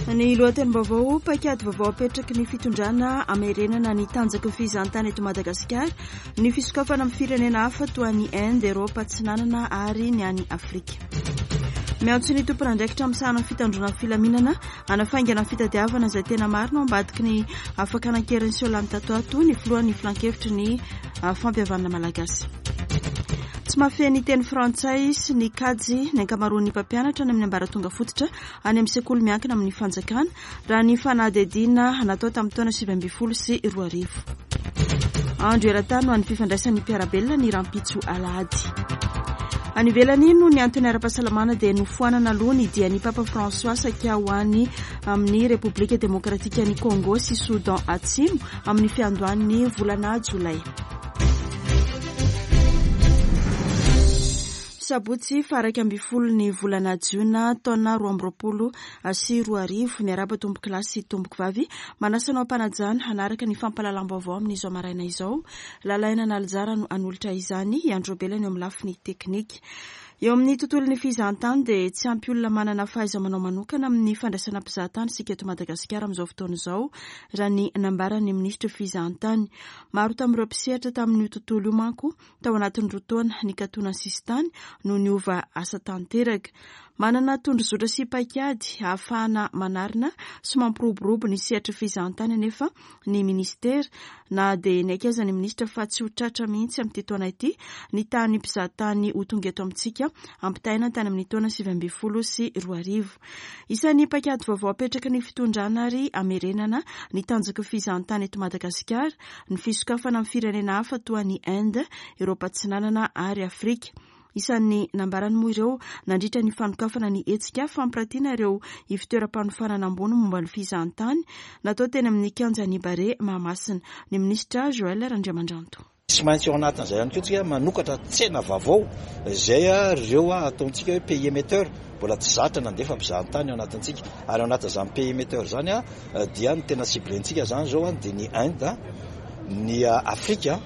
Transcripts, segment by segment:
Ny lohatenim-baovao, paikady vaovao apetraky ny fitondrana hamerenana ny tanjaky ny fizahantany eto Madagasikara, ny fisokafana amin'ny firenena hafa toa an'i Inde, Eropa Atsinanana ary ny any Afrika. Miantso ny tompon'andraikitra misahana ny fitandroana ny filaminana hanafaingana ny fitadiavana izay tena marina ao ambadiky ny fakana an-keriny seho lany tato ato ny filohan'ny filankevitry ny fampihavanana malagasy. Tsy mahafehy ny teny frantsay sy ny kajy ny ankamaroan'ny mpampianatra any amin'ny ambaratonga fototra any amin'ny sekoly miankina amin'ny fanjakana, raha ny fanadihadiana natao tamin'ny taona 2019. Andro eran-tany ho an'ny fifandraisan'ny mpiara-belona ny rahampitso alahady. Any ivelany, noho ny antony ara-pahasalamana dia nofoanana aloha ny dian'ny Papa François saika ho any amin'ny Repoblika Demokratikan'i Congo sy Soudan Atsimo amin'ny fiandohan'ny volana jolay. Sabotsy faha 11 ny volana jiona taona 2022. Miarahaba tompoko lahy sy tompoko vavy. Manasa anao am-panajana hanaraka ny fampahalalam-baovao amin'izao maraina izao. Lalaina Analijara no hanolotra izany, i Andro Belany eo amin'ny lafiny teknika. Eo amin'ny tontolon'ny fizahantany dia tsy ampy olona manana fahaiza-manao manokana amin'ny fandraisana mpizahatany isika eto Madagasikara amin'izao fotoana izao, raha ny nambaran'ny minisitry ny fizahantany. Maro tamin'ireo mpisehatra tamin'io tontolo io manko tao anatin'ny roa taona nikatona ny sisintany no niova asa tanteraka. Manana tondrozotra sy paikady ahafahana manarina sy mampiroborobo ny sehatry ny fizahantany anefa ny minisitera na dia niaiky aza ny minisitra fa tsy ho tratra mihitsy amin'ity taona ity ny tahan'ny mpizahatany ho tonga eto amintsika ampitahaina tany amin'ny taona 2019. Isan'ny paikady vaovao apetraky ny fitondrana ary hamerenana ny tanjaky ny fizahantany eto Madagasikara ny fisokafana amin'ny firenena hafa toa an'i Inde, Eoropa Atsinanana ary Afrika. Isan'ny nambarany moa ireo nandritra ny fanokafana ny hetsika fampiratiana ireo ivotoeram-panofanana ambony momba ny fizahantany natao teny amin'ny kianjan'i Barea Mahamasina, ny minisitra Joël Randriamandranto. Tsy maintsy ao anatin'izay ihany koa tsika manokatra tsena vaovao izay ireo ataontsika hoe pays émetteur mbola tsy zatra nandefa mpizahantany ao anatintsika ary ao anatin'izany pays émetteur izany dia ny tena ciblé-ntsika izany izao dia ny Inde, ny Afrika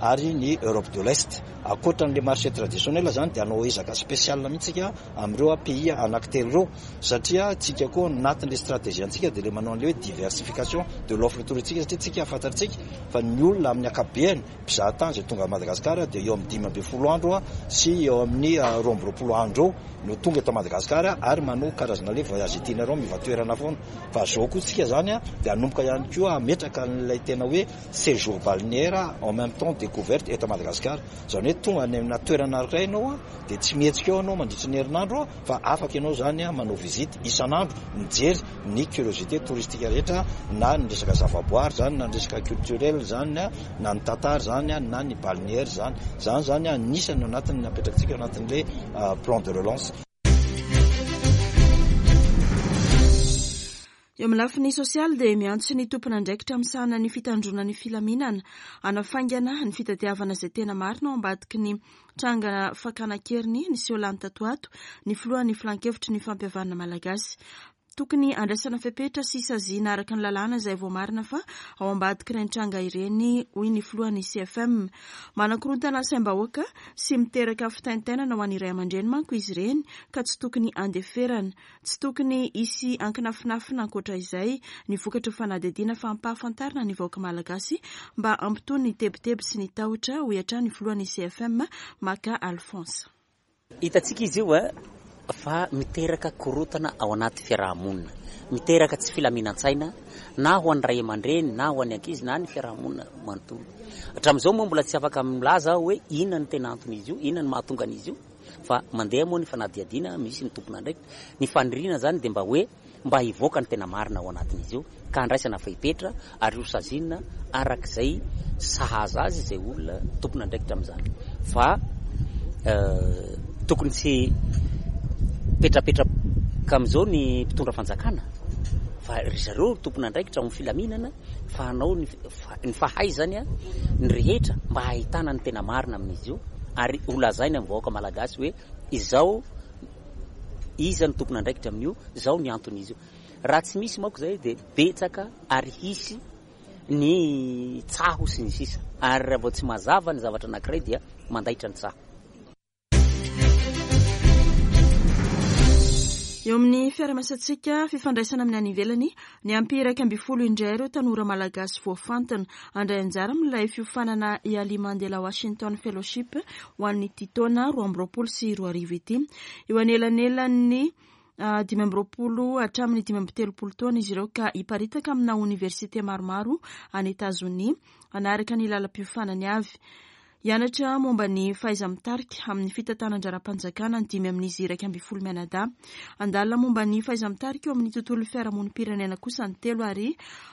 ary ny Europe de l'Est. Ankoatra an'ilay marché traditionnel izany dia hanao ezaka spécial mihitsy isika amin'ireo pays anankitelo ireo satria tsika koa anatin'ilay stratégie antsika dia ilay manao an'ilay hoe diversification de l'offre touristique satria tsika fantatsika fa ny olona amin'ny ankapobeny mpizahatany izay tonga Madagasikara dia eo amin'ny 15 andro sy eo amin'ny 22 andro eo no tonga eto Madagasikara ary manao karazana ilay voyage itinérant miova toerana foana fa zao koa tsika zany dia hanomboka ihany koa hametraka an'ilay tena hoe séjour balnéaire en même temps découverte eto Madagasikara izany hoe tonga any amina toerana iray ianao dia tsy mihetsika eo ianao mandritry ny herinandro fa afaka ianao izany manao visite isan'andro mijery ny curiosité touristique rehetra na ny resaka zavaboary izany na ny resaka culturel izany na ny tantara izany na ny balnéaire izany. Izany izany anisany anatin'ny napetrakintsika anatin'ilay plan de relance. Eo amin'ny lafiny sosialy dia miantso ny tompon'andraikitra misahana ny fitandroana ny filaminana hanafaingana ny fitadiavana izay tena marina ao ambadiky ny tranga fakana an-keriny niseho lany tato ato ny filohan'ny filankevitry ny fampihavanana malagasy. Tokony handraisana fepetra sy saziana araka ny lalàna izay voamarina fa ao ambadik'ireny tranga ireny, hoy ny filohan'ny CFM. Manakorontana saim-bahoaka sy miteraka fitaintainana ho an'ny ray aman-dreny manko izy ireny ka tsy tokony handeferana. Tsy tokony hisy ankinafinafina ankoatra izay ny vokatry ny fanadihadiana fa ampahafantarina ny vahoaka malagasy mba hampitony ny tebiteby sy ny tahotra, hoy hatrany ny filohan'ny CFM, Maka Alphonse. Hitantsika izy io fa miteraka korontana ao anaty fiaraha-monina, miteraka tsy filaminan-tsaina na ho an'ny ray aman-dreny na ho an'ny ankizy na ny fiaraha-monina manontolo. Hatramin'izao moa mbola tsy afaka milaza aho hoe inona no tena anton'izy io, inona no mahatonga an'izy io fa mandeha moa ny fanadihadiana, misy ny tompon'andraikitra. Ny faniriana izany dia mba hoe mba hivoaka ny tena marina ao anatin'izy io ka handraisana fepetra ary ho saziana araka izay sahaza azy izay olona tompon'andraikitra amin'izany fa tokony tsy petrapetraka amin'izao ny mpitondra fanjakana fa ry zareo tompon'andraikitra ao amin'ny filaminana fa hanao ny fahaizany ny rehetra mba hahitana ny tena marina amin'izy io ary ho lazaina amin'ny vahoaka malagasy hoe izao Iza no tompon'andraikitra amin'io? Izao ny anton'izy io. Raha tsy misy manko izay dia betsaka ary hisy ny tsaho sy ny sisa. Ary raha vao tsy mazava ny zavatra anankiray dia mandaitra ny tsaho. Eo amin'ny fiarahamiasantsika, fifandraisana amin'ny any ivelany, niampy 11 indray ireo tanora malagasy voafantina handray anjara amin'ilay fiofanana Yali Mandela Washington Fellowship ho an'ity taona 2022 ity. Eo anelanelan'ny 25 hatramin'ny 35 taona izy ireo ka hiparitaka amina oniversite maromaro any Etazonia hanaraka ny lalam-piofanany avy. Hianatra momba ny fahaiza-mitarika amin'ny fitantanan-draharaham-panjakana ny dimy amin'izy 11 mianadahy. Handalina momba ny fahaiza-mitarika eo amin'ny tontolon'ny fiarahamonim-pirenena kosa ny telo ary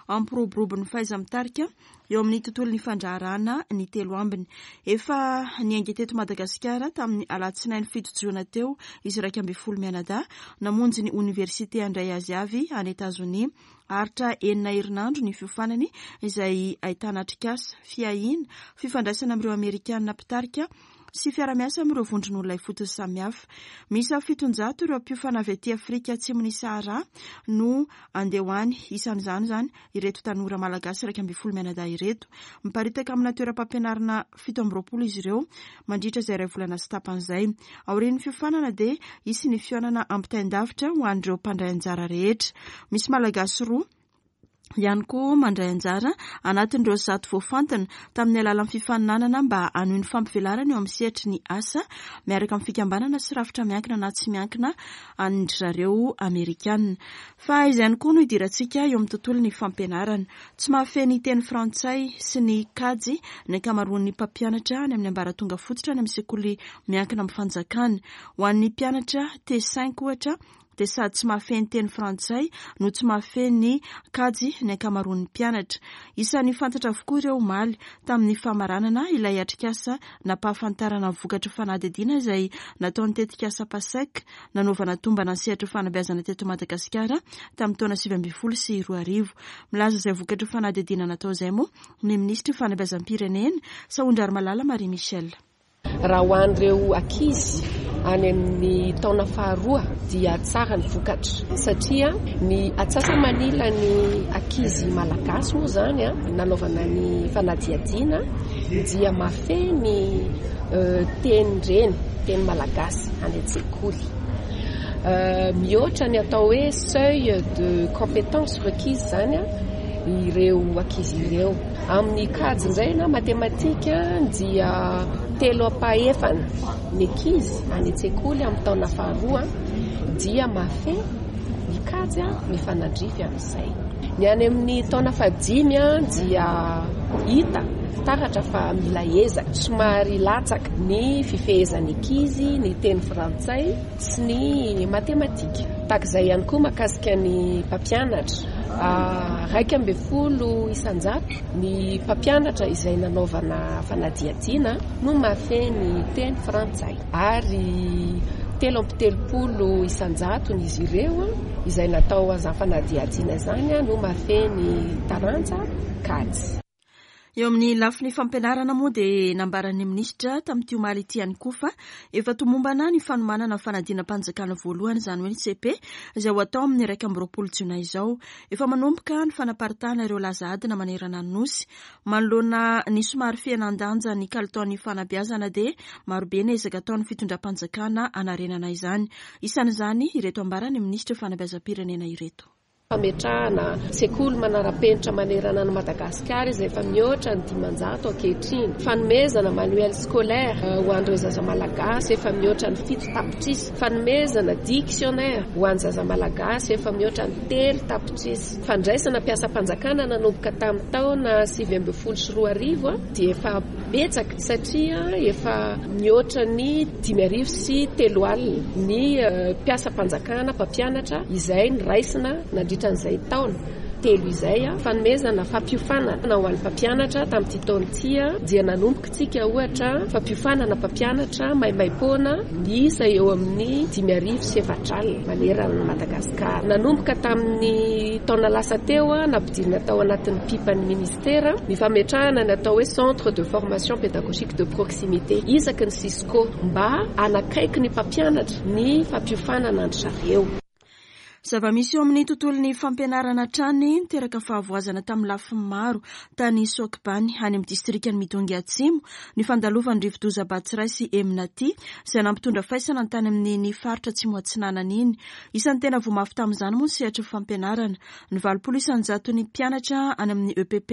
hampiroborobo ny fahaiza-mitarika eo amin'ny tontolon'ny fandraharahana ny telo ambiny. Efa niainga teto Madagasikara tamin'ny alatsinainy 7 jona teo izy 11 mianadahy namonjy ny oniversite handray azy avy any Etazonia. Haharitra enina herinandro ny fiofanany izay ahitana atrikasa, fiahiana, fifandraisana amin'ireo Amerikana mpitarika sy fiara-miasa amin'ireo vondron'olona ifotony samihafa. Miisa 700 ireo mpiofana avy aty Afrika Atsimon'i Sahara no handeha ho any. Isan'izany izany ireto tanora malagasy 11 mianadahy ireto. Miparitaka amina toeram-pampianarana 27 izy ireo mandritra izay iray volana sy tapany izay. Aorian'ny fiofanana dia hisy ny fihaonana ampitain-davitra ho an'ireo mpandray anjara rehetra. Misy Malagasy roa ihany koa mandray anjara anatin'ireo 100 voafantina tamin'ny alalan'ny fifaninanana mba hanohy ny fampivelarana eo amin'ny sehatry ny asa miaraka amin'ny fikambanana sy rafitra miankina na tsy miankina an-dry zareo Amerikana. Fa izay ihany koa no idirantsika eo amin'ny tontolon'ny fampianarana. Tsy mahafehy ny teny frantsay sy ny kajy ny ankamaroan'ny mpampianatra any amin'ny ambaratonga fototra any amin'ny sekoly miankina amin'ny fanjakana. Ho an'ny mpianatra T5 ohatra dia sady tsy mahafehy ny teny frantsay no tsy mahafehy ny kajy ny ankamaroan'ny mpianatra. Isan'ny fantatra avokoa ireo omaly tamin'ny famaranana ilay atrikasa nampahafantarana ny vokatry fanadihadiana izay nataon'ny tetikasa PASEC nanaovana tombana ny sehatry ny fanabeazana teto Madagasikara tamin'ny taona 2019. Milaza izay vokatry fanadihadiana natao izay moa ny minisitry ny fanabeazam-pirenena, Sahondrarimalala Marie Michelle. Raha ho an'ireo ankizy any amin'ny taona faharoa dia tsara ny vokatra satria ny atsasa-manilan'ny ankizy malagasy moa izany nanaovana ny fanadihadiana dia mahafehy ny tenin-dreny, teny malagasy any an-tsekoly. Mihoatra ny atao hoe seuil de compétence requise izany ireo ankizy ireo. Amin'ny kajy indray na matematika dia telo ampahefana ny ankizy any an-tsekoly amin'ny taona faharoa dia mahafehy ny kajy mifanandrify amin'izay. Ny any amin'ny taona fahadimy dia hita taratra fa mila ezaka, somary latsaka ny fifehezan'ny ankizy ny teny frantsay sy ny matematika. Tahaka izay ihany koa mahakasika ny mpampianatra. 11% ny mpampianatra izay nanaovana fanadihadiana no mahafehy ny teny frantsay ary 33% izy ireo izay natao an'izany fanadihadiana izany no mahafehy ny taranja kajy. Eo amin'ny lafiny fampianarana moa dia nambaran'ny minisitra tamin'ity omaly ity ihany koa fa efa tomombana ny fanomanana fanadinam-panjakana voalohany, izany hoe ny cepe, izay ho atao amin'ny 21 jona izao. Efa manomboka ny fanaparitahana ireo laza adina manerana ny Nosy. Manoloana ny somary fihenan-danja ny kalitaon'ny fanabeazana dia marobe ny ezaka ataon'ny fitondram-panjakana hanarenana izany. Isan'izany ireto ambaran'ny minisitry ny fanabeazam-pirenena ireto. Fametrahana sekoly manara-penitra manerana an'i Madagasikara izay efa mihoatra ny 500 ankehitriny. Fanomezana manuel scolaire ho an'ireo zaza malagasy efa mihoatra ny 7 tapitrisa. Fanomezana dictionnaire ho an'ny zaza malagasy efa mihoatra ny 3 tapitrisa. Fandraisana mpiasam-panjakana nanomboka tamin'ny taona 2019 dia efa betsaka satria efa mihoatra ny 350 ny mpiasam-panjakana mpampianatra izay noraisina nandritra an'izay taona telo izay. Fanomezana fampiofanana ho an'ny mpampianatra tamin'ity taona ity dia nanomboka isika ohatra fampiofanana mpampianatra maimaimpoana miisa eo amin'ny 450 manerana an'i Madagasikara. Nanomboka tamin'ny taona lasa teo nampidirina tao anatin'ny pipan'ny ministera ny fametrahana ny atao hoe centre de formation pédagogique de proximité isaky ny Cisco mba hanakaiky ny mpampianatra ny fampiofanana an-dry zareo. Zava-misy eo amin'ny tontolon'ny fampianarana hatrany niteraka fahavoazana tamin'ny lafiny maro tany Sokibany, any amin'ny distrikan'i Midongy Atsimo, ny fandalovan'ny rivodoza Batsirai sy Emnati, izay nampitondra faisana ny tany amin'iny faritra Atsimo Atsinanana iny. Isan'ny tena voa mafy tamin'izany moa ny sehatry ny fampianarana. Ny 80 isan-jaton'ny mpianatra any amin'ny EPP,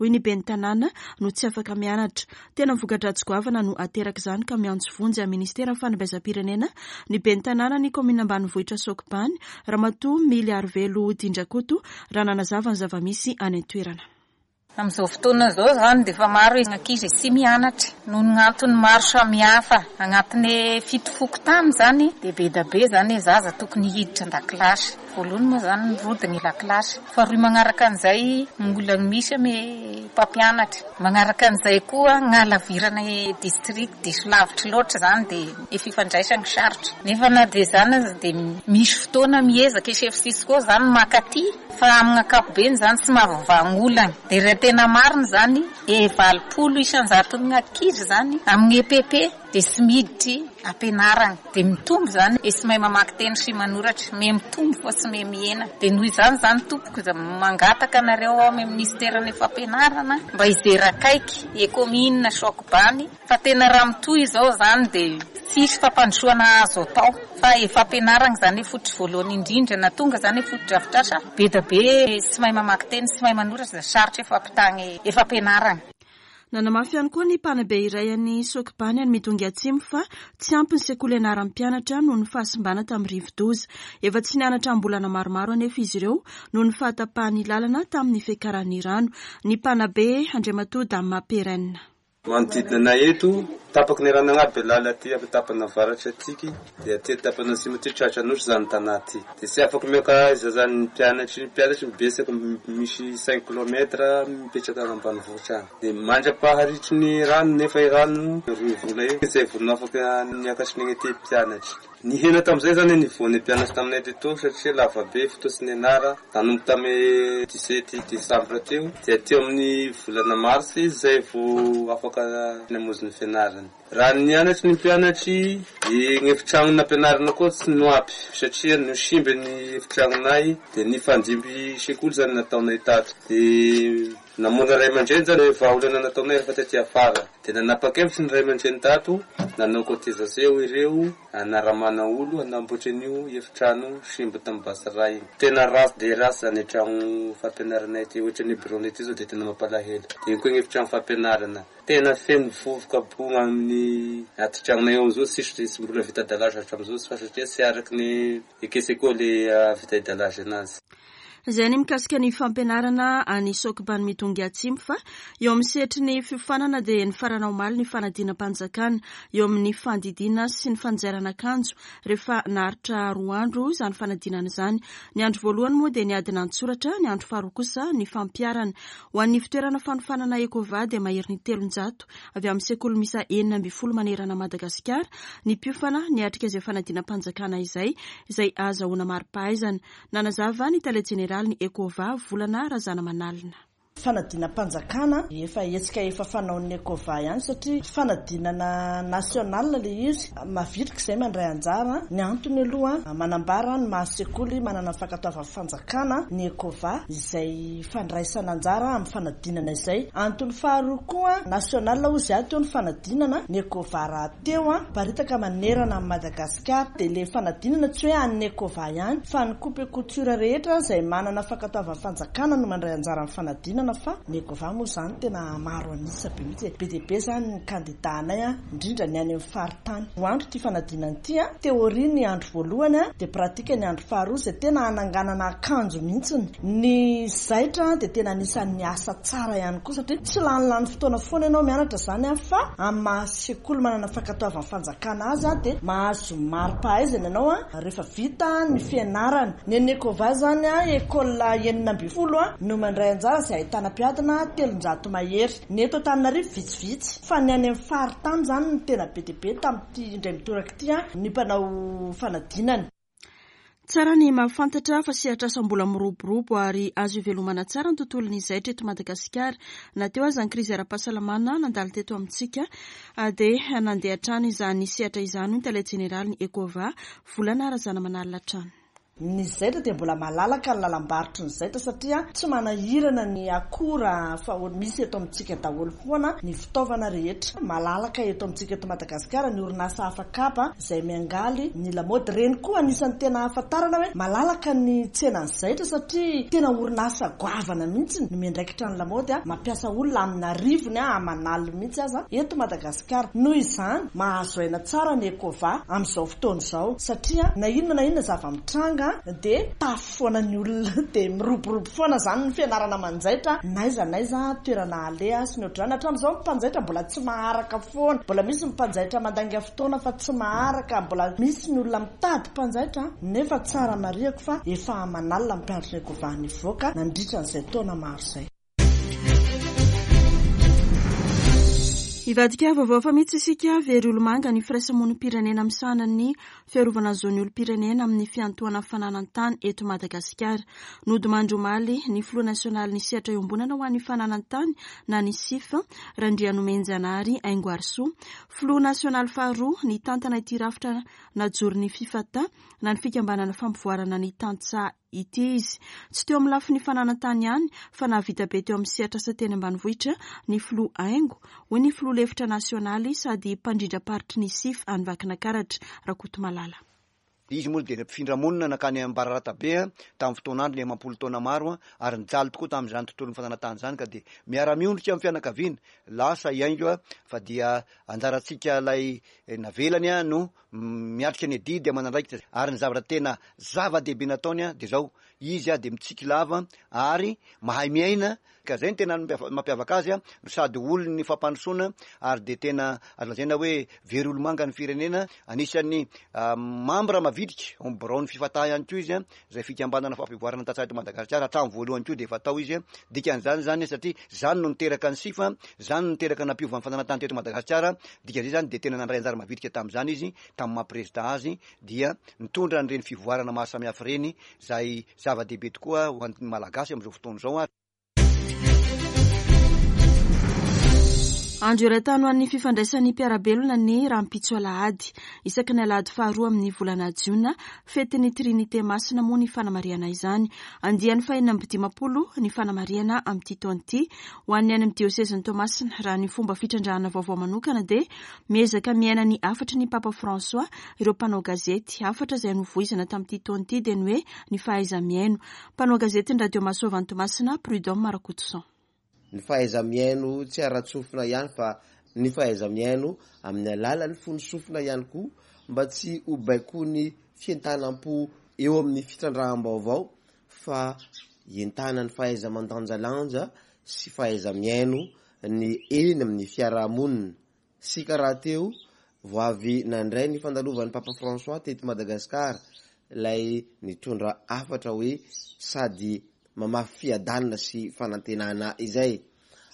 hoy ny ben'ny tanàna, no tsy afaka mianatra. Tena voka-dratsy goavana no aterak'izany ka miantso vonjy amin'ny ministeran'ny fanabeazam-pirenena ny ben'ny tanànan'ny kaominina ambanivohitra Sokibany, Ramatoa Mily Arivelo Dindrakoto, raha nanazava ny zava-misy any an-toerana. Amin'izao fotoana izao izany dia efa maro ny ankizy tsy mianatra noho ny antony maro samihafa. Agnatin'ny fito fokontany izany dia be dia be izany ny zaza tokony hiditra an-dakilasy. Voalohany moa izany mirodona ny lakilasy. Faharoa magnaraka an'izay ny olana misy amin'ny mpampianatra. Magnaraka an'izay koa ny halavirana ny district diso lavitra loatra izany dia ny fifandraisana sarotra. Nefa na dia izany aza dia misy fotoana miezaka i chef Cisco izany maka aty. Fa amin'ny ankapobeny izany tsy mahavoavaha olana. Dia raha tena marina izany, e 80 isan-jaton'ny ankizy izany amin'ny EPP dia tsy miditry ampianarana. Dia mitombo izany e tsy mahay mamaky teny sy manoratra. Miha mitombo fa tsy miha mihena. Dia noho izany izany tompoko dia mangataka anareo ao amin'ny minisiteran'ny fampianarana mba hijery akaiky e kaominina Sokobany Fa tena raha mitohy izao izany dia tsy hisy fampandrosoana azo atao fa e fampianaragna izany e fototry voalohany indrindra na tonga izany e fotodrafitrasa be da be tsy mahay mamaky teny tsy mahay manoratra dia sarotra e fampitagna e fampianaragna. Nanamafy ihany koa ny mpanabe iray any Sokibany any Midongy Atsimo fa tsy ampy ny sekoly ianaran'ny mpianatra noho ny fahasimbana tamin'ny rivodoza. Efa tsy nianatra am-bolana maromaro anefa izy ireo noho ny fahatapahan'ny lalana tamin'ny fiakaran'ny rano. Ny mpanabe, Andriamatoa Dama Perrin. Manodidina anay eto, tapaky ny rano agnaby lala aty amin'ny tapany avaratra atiky, dia aty tapany atsimo aty tratra anosy zany tanà ty. Dia tsy afaka miaka aiza zany ny mpianatry, ny mpianatry mibetsaka misy cinq kilomètre mipetraka any ambanivohitra any. Dia mandra-paharitry ny rano nefa i rano roa vola eo zay vao afaka niakatry ny aty mpianatry. Nihena tamin'izay izany ny niveau-n'ny mpianatra taminay teto satria lava be fotoa tsy nianara, nanomboka tamin'ny 17 décembre teo dia teo amin'ny volana mars izy izay vao afaka namonjy ny fianarany. Raha nianatry ny mpianatry, ny efitrano nampianarana koa tsy noampy satria nosimba ny efitragnonay dia nifandimby sekoly izany nataonay tato dia Namono ray aman-dreny zany vahaolana nataonay rehefa taty afara. Dia nanapa-kevitra ny ray aman-dreny tato, nanao cotisation ireo, hanaramana olo hanamboatra an'io efitrano simba tamin'ny basy ray iny. Tena ratsy dia ratsy zany etragno fampianaranay ity, ohatran'ny bureau-nay ity zao dia tena mampalahelo. Dia iny koa ny efitrano fampianarana, tena feno vovoka bonga amin'ny atitragnonay ao amizao, tsisy tsy mbola vita dallage hatramizao fa satria tsy araky ny eke-sekoly ahavita dallage anazy. Izay ny mikasika ny fampianarana any Sokibany Midongy Atsimo fa eo amin'ny sehatry ny fiofanana dia nifarana omaly ny fanadinam-panjakana eo amin'ny fandidiana sy ny fanjairana akanjo rehefa naharitra roa andro izany fanadinana izany. Ny andro voalohany moa dia ny adina an-tsoratra, ny andro faharoa kosa ny fampiharana. Ho an'ny fitoerana fanofanana Ecova dia maherin'ny 300 avy amin'ny sekoly miisa 16 manerana Madagasikara ny mpiofana niatrika izay fanadinam-panjakana izay, izay ahazahoana mari-pahaizana. Nanazava ny tale jeneralin'ny Ecova, Volana Razanamanalina. Fanadinam-panjakana, efa hetsika efa fanaon'ny Ecova ihany satria fanadinana national ilay izy. Mavitrika izay mandray anjara. Ny antony aloha, manambara ny maha sekoly manana ny fankatoavan'ny fanjakana ny Ecova izay fandraisana anjara amin'ny fanadinana izay. Antony faharoa koa, national hozy aho teo ny fanadinana, ny Ecova rahateo miparitaka manerana an'i Madagasikara. Ka dia le fanadinana tsy hoe an'ny Ecova ihany fa ny coupe couture rehetra izay manana fankatoavan'ny fanjakana no mandray anjara amin'ny fanadinana fa ny Ecova moa izany tena maro an'isa be mihitsy e. Be dia be izany ny kandida anay a, indrindra ny any amin'ny faritany. Roa andro ity fanadinana ity a, théorie ny andro voalohany a, dia pratique ny andro faharoa izay tena hananganana akanjo mihitsy. Ny zaitra dia tena anisan'ny asa tsara ihany koa satria tsy lanilany fotoana foana ianao mianatra izany a fa amin'ny maha sekoly manana fankatoavan'ny fanjakana azy dia mahazo mari-pahaizana ianao rehefa vita ny fianarana. Ny an'ny Ecova izany école 16 no mandray anjara izay ahitana mpiadina 300 mahery. Ny eto Antananarivo vitsivitsy fa ny any amin'ny faritany izany no tena be dia be tamin'ity indray mitoraka ity ny mpanao fanadinana. Tsara ny mahafantatra fa sehatr'asa mbola miroborobo ary azo ivelomana tsara ny tontolon'ny zaitra eto Madagasikara. Na teo aza ny krizy ara-pahasalamana nandalo teto amintsika dia nandeha hatrany izany sehatra izany, hoy ny tale jeneralin'ny Ecova, Volana Razanamanalina hatrany. Ny zaitra dia mbola malalaka ny lalam-barotry ny zaitra satria tsy manahirana ny akora fa misy eto amintsika daholo foana ny fitaovana rehetra. Malalaka eto amintsika eto Madagasikara ny orinasa afakaba izay miangaly ny lamaody. Ireny koa anisan'ny tena ahafantarana hoe malalaka ny tsenan'ny zaitra satria tena orinasa goavana mihitsy no miandraikitra ny lamaody, mampiasa olona amin'arivony aman'aliny mihitsy aza eto Madagasikara. Noho izany, mahazo aina tsara ny Ecova amin'izao fotoana izao satria na inona na inona zava-mitranga dia tafo foana ny olona dia miroborobo foana izany ny fianarana manjaitra n'aiza n'aiza toerana aleha sy ny ohatr'izany. Hatramin'izao ny mpanjaitra mbola tsy maharaka foana, mbola misy ny mpanjaitra mandainga fotoana fa tsy maharaka, mbola misy ny olona mitady mpanjaitra nefa tsara marihako fa efa aman'alina ny mpianatry ny Ecova nivoaka nandritra an'izay taona maro izay. Hivadika vaovao hafa mihitsy isika, very olomanga ny firaisamonim-pirenena misahana ny fiarovana ny zon'ny olom-pirenena amin'ny fiantohana fananan-tany eto Madagasikara. Nodimandry omaly ny filoha nasionalin'ny sehatra iombonana ho an'ny fananan-tany na ny SIF, Randrianomenjanahary Haingoarisoa. Filoha nasionaly faharoa nitantana ity rafitra najoron'ny Fifata na ny fikambanana fampivoarana ny tantsaha ity izy. Tsy teo amin'ny lafiny fananan-tany ihany fa nahavita be teo amin'ny sehatr'asa teny ambanivohitra ny filoha Haingo, hoy ny filoha lefitra nasionaly sady mpandrindram-paritry ny SIF any Vakinakaratra, Rakotomalala. Izy moa dia mpifindra monina nankany Ambararatabe tamin'ny fotoan'androny amam-polo taona maro ary nijaly tokoa tamin'izany tontolon'ny fananantany izany ka dia miara-miondrika amin'ny fianakaviana lasa i Haingo fa dia anjarantsika ilay navelany no miatrika ny adidy aman'andraikitra ary ny zavatra tena zava-dehibe nataony dia izao, izy dia mitsiky lava ary mahay miaina ka izay no tena mampiavaka azy no sady olon'ny fampandrosoana ary dia tena azo lazaina hoe very olomanga ny firenena, anisan'ny mambra mavitrika ao amin'ny biraon'ny Fifata ihany koa izy izay fikambanana fampivoarana ny tantsaha eto Madagasikara, hatramin'ny voalohany koa dia efa tao izy, dikan'izany izany satria izany no niteraka ny sifa, izany no niteraka nampiova ny fananantany teto Madagasikara, dikan'izay izany dia tena nandray anjara mavitrika tamin'izany izy tamin'ny maha prezida azy dia nitondra an'ireny fivoarana maro samihafa ireny izay zava-dehibe tokoa ho an'ny Malagasy amin'izao fotoana izao ary. Andro eran-tany ho an'ny fifandraisan'ny mpiara-belona ny rahampitso alahady. Isaky ny alahady faharoa amin'ny volana jiona, fetin'ny Trinite Masina moa ny fanamarihana izany. Andiany faha-56 ny fanamarihana amin'ity taona ity. Ho an'ny any amin'ny diosezin'i Toamasina, raha ny fomba fitrandrahana vaovao manokana dia miezaka miaina ny hafatry ny Papa François ireo mpanao gazety. Hafatra izay novoizina tamin'ity taona ity dia ny hoe ny fahaiza-mihaino. Mpanao gazetin'ny Radio Mahasoa avy any Toamasina, Prud'homme Rakotoson. Ny fahaiza-mihaino tsy ara-tsofina ihany fa ny fahaiza-mihaino amin'ny alalan'ny fon'ny sofina ihany koa mba tsy ho baikoin'ny fientanam-po eo amin'ny fitrandraham-baovao fa entanan'ny fahaiza-mandanjalanja sy fahaiza-mihaino ny eny amin'ny fiarahamonina. Isika rahateo vao avy nandray ny fandalovan'ny Papa François teto Madagasikara, ilay nitondra hafatra hoe sady mamafy fiadanana sy fanantenana izay.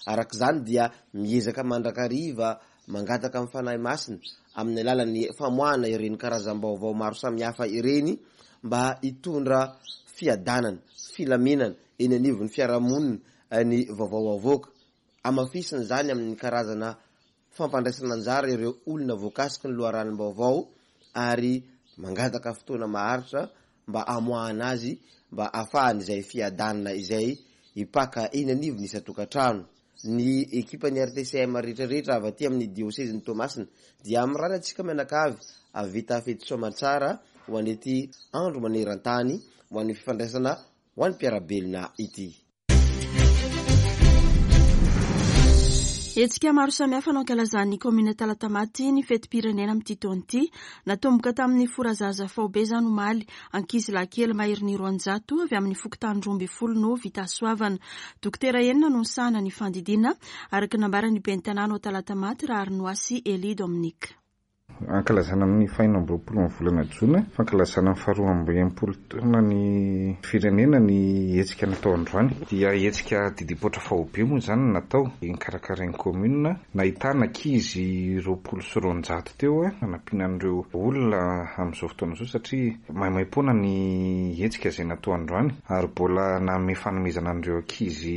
Araka izany dia miezaka mandrakariva mangataka amin'ny Fanahy Masina amin'ny alalan'ny famoahana ireny karazam-baovao maro samihafa ireny mba hitondra fiadanana, filaminana eny anivon'ny fiarahamonina ny vaovao avoaka. Hamafisina izany amin'ny karazana fampandraisana anjara ireo olona voakasiky ny loharanom-baovao ary mangataka fotoana maharitra mba hamoahana azy mba hahafahan'izay fiadanana izay hipaka eny anivon'ny isan-tokantrano. Ny ekipan'ny RTCM rehetra rehetra avy aty amin'ny diosezin'i Toamasina dia mirary antsika mianakavy hahavita fety soamantsara ho an'ity andro maneran-tany ho an'ny fifandraisana ho an'ny mpiara-belona ity. Hetsika maro samihafa no ankalazan'ny kaominina Talatamaty ny fetim-pirenena amin'ity taona ity. Natomboka tamin'ny forazaza faobe izany omaly. Ankizilahy kely maherin'ny 200 avy amin'ny fokontany 12 no vita hasoavana. Dokotera enina no nisahana ny fandidiana, araka ny nambaran'ny ben'ny tanàna ao Talatamaty, Raharinoasy Elie Dominique. Ankalazana amin'ny fahenina amby roapolo ny volana jona, fankalazana ny faharoa amby enimpolo taona ny firenena ny hetsika natao androany. Dia hetsika didipoitra faobe moa izany no natao, nokarakarain'ny commune, nahitana ankizy 220 teo nanampiana an'ireo olona amin'izao fotoana izao satria maimaimpoana ny hetsika izay natao androany ary mbola nanome fanomezana an'ireo ankizy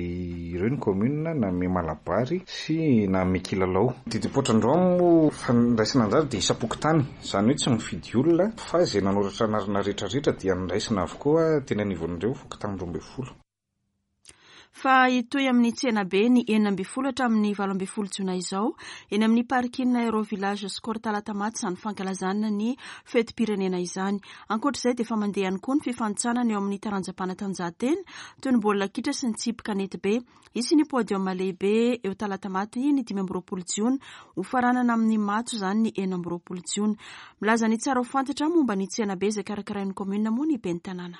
ireo ny commune, nanome malabary sy nanome kilalao. Didipoitra androany moa fandraisana anjara dia. isam-pokontany, izany hoe tsy mifidy olona fa izay nanoratra anarana rehetra rehetra dia noraisina avokoa teny anivon'ireo fokontany 12. Fa hitohy amin'ny tsenabe ny 16 hatramin'ny 18 jona izao eny amin'ny parking Aero Village Score Talatamaty izany fankalazana ny fetim-pirenena izany. Ankoatra izay dia efa mandeha ihany koa ny fifanintsanana eo amin'ny taranjam-panatanjahantena toy ny baolina kitra sy ny tsipy kanetibe. Hisy ny podium lehibe eo Talatamaty ny 25 jiona, hofaranana amin'ny matso izany ny 26 jiona. Milaza ny tsara ho fantatra momba ny tsenabe izay karakarain'ny kaominina moa ny ben'ny tanàna.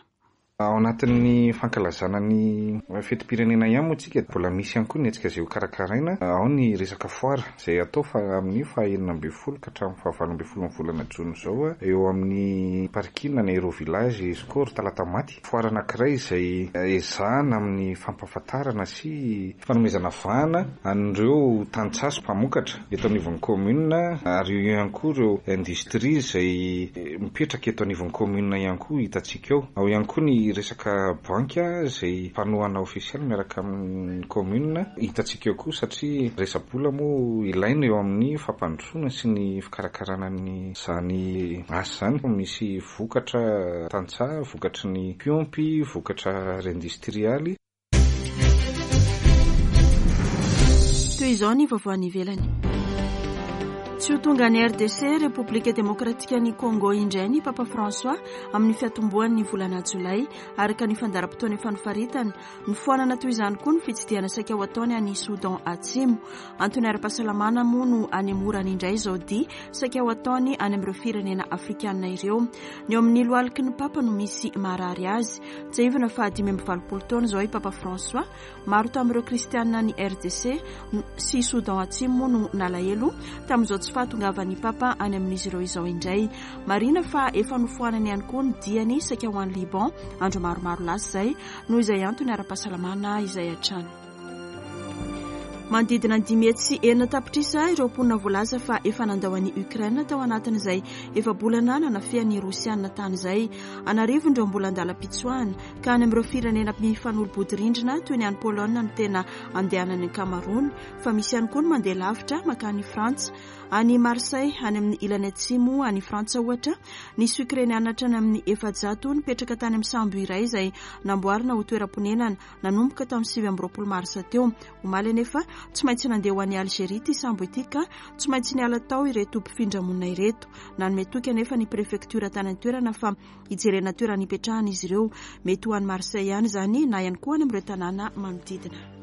Ao anatin'ny fankalazana ny fetim-pirenena ihany moa tsika mbola misy ihany koa ny hetsika izay ho karakaraina. Ao ny resaka foire izay hatao fa amin'ny faha 16 ka hatramin'ny faha 18 ny volana jona izao eo amin'ny parking ny Aero Village Score Talatamaty. Foire anankiray izay ezahana amin'ny fampahafantarana sy fanomezana vahana an'ireo tantsaha sy mpamokatra eto anivon'ny commune ary eo ihany koa ireo industrie izay mipetraka eto anivon'ny commune ihany koa hitantsika ao. Ao ihany koa ny resaka banky izay mpanohana ofisialy miaraka amin'ny commune hitantsika eo koa satria resa-bola moa ilaina eo amin'ny fampandrosoana sy ny fikarakarana an'izany asa izany. Misy vokatra tantsaha, vokatry ny mpiompy, vokatra ara-industrialy. Toy izao ny vaovao any ivelany. Tsy ho tonga any RDC, Repoblika Demokratikan'i Congo indray ny Papa François amin'ny fiatombohan'ny volana jolay, araka ny fandaharam-potoana efa nofaritana. Nofoanana toy izany koa ny fitsidihana saika ho ataony any Soudan Atsimo. Antony ara-pahasalamana moa no anemorany indray izao dia saika ho ataony any amin'ireo firenena afrikanina ireo. Ny eo amin'ny lohaliky ny Papa no misy marary azy. Tsiahivina fa 85 taona izao i Papa François. Maro tamin'ireo kristianina any RDC sy Soudan Atsimo moa no nalahelo tamin'izao tsy fahatongavan'ny Papa any amin'izy ireo izao indray. Marihina fa efa nofoanany ihany koa ny diany saika ho any Liban andro maromaro lasa izay noho izay antony ara-pahasalamana izay hatrany. Manodidina ny 506 tapitrisa ireo mponina voalaza fa efa nandao an'i Ukraine tao anatin'izay efa-bolana nanafihan'ny Rosiana tany izay. An'arivony ireo mbola an-dalam-pitsoahana, ka any amin'ireo firenena mifanolo-bodirindrina toy ny any Pologne no tena andehanan'ny ankamaroany, fa misy ihany koa ny mandeha lavitra mankany Frantsa. Any Marseille, any amin'ny ilany atsimo any Frantsa ohatra, nisy Okrainiana hatrany amin'ny 400 nipetraka tany amin'ny sambo iray izay namboarina ho toeram-ponenana nanomboka tamin'ny 29 marsa teo. Omaly anefa, tsy maintsy nandeha ho any Algeria ity sambo ity ka tsy maintsy niala tao ireto mpifindra-monina ireto. Nanome toky anefa ny prefektiora tany an-toerana fa hijerena toerana hipetrahana izy ireo. Mety ho any Marseille ihany izany na ihany koa any amin'ireo tanàna manodidina.